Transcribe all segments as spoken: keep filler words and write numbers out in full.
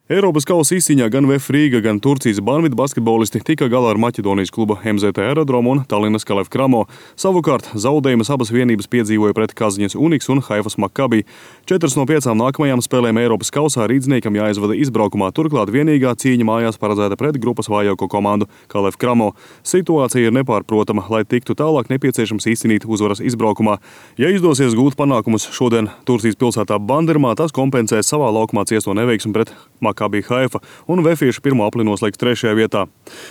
Eiropas kausa izcīņā gan V F Rīga, gan Turcijas Banvita basketbolisti tika galā ar Maķedonijas kluba M Z T Aerodromu un Tallinas Kalev Kramo. Savukārt zaudējumus abas vienības piedzīvoja pret Kaziņas Uniks un Haifas Maccabi. Četras no piecām nākamajām spēlēm Eiropas kausā rīdzniekam jāizvada izbraukumā, turklāt vienīgā cīņa mājās paredzēta pret grupas vājāko komandu Kalev Kramo. Situācija ir nepārprotama, lai tiktu tālāk nepieciešams izcīnīt uzvaras izbraukumā. Ja izdosies gūt panākumus šodien Turcijas pilsētā Bandirmā, tas kompensēs savā laukumā ciesto neveiksmi pret Maccabi Haifa un vefieši pirmo apli noslēgs trešajā vietā.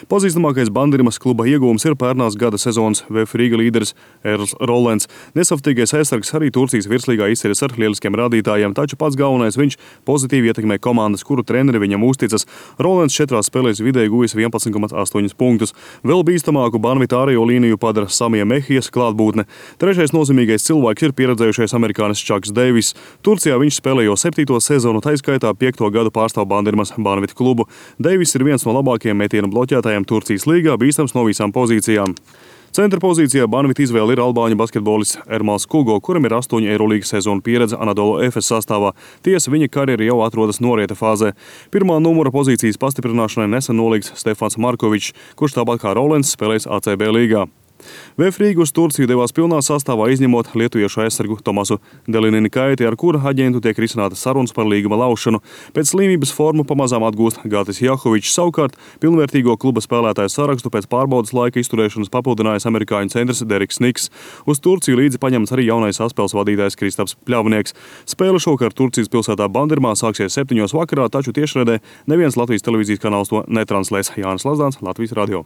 Pazīstamākais Bandirmas kluba ieguvums ir pērnās gada sezonas V F Rīga līderis Erls Rollens. Nesaftīgais aizsargs arī Turcijas virslīgā izceļas ar lieliskiem rādītājiem, taču pats galvenais viņš pozitīvi ietekmē komandas, kuru treneri viņam uzticas. Rollens četrās spēlēs vidēji guvis vienpadsmit komats astoņi punktus. Vēl bīstamāku Banvita ārējo līniju padara Samija Mehijas klātbūtne. Trešais nozīmīgais cilvēks ir pieredzējušais amerikānis Čaks Deivis. Turcijā viņš spēlē jau septīto sezonu, taiskaitā piekto gadu pārstāv Bandirmas Banvita klubu. Deivis ir viens no labākajiem metienu bloķētājiem Turcijas līgā, bīstams no visām pozīcijām. Centra pozīcijā Banvita izvēle ir albāņu basketbolists Ermals Kugo, kuram ir astoņu Eirolīgas sezonu pieredze Anadolu Efes sastāvā. Tiesa, viņa karjera jau atrodas norieta fāzē. Pirmā numura pozīcijas pastiprināšanai nesen nolīgts Stefans Markovičs, kurš tāpat kā Rollens spēlēs A C B līgā. V F Rīga uz Turciju devās pilnā sastāvā, izņemot lietuviešu aizsargu Tomasu Delinini Kaiti, ar kura aģentu tiek risinātas sarunas par līguma laušanu. Pēc slimības formu pamazām atgūst Gatis Jahovičs, savukārt pilnvērtīgo kluba spēlētāju sarakstu pēc pārbaudas laika izturēšanas papildinājis amerikāņu centrs Deriks Niks. Uz Turciju līdzi paņemts arī jaunais saspēles vadītājs Kristaps Pļavnieks. Spēle šovakar Turcijas pilsētā Bandirmā sāksies septiņos vakarā, taču tiešraidē neviens Latvijas televīzijas kanāls to netranslēs. Jānis Lazdāns, Latvijas radio.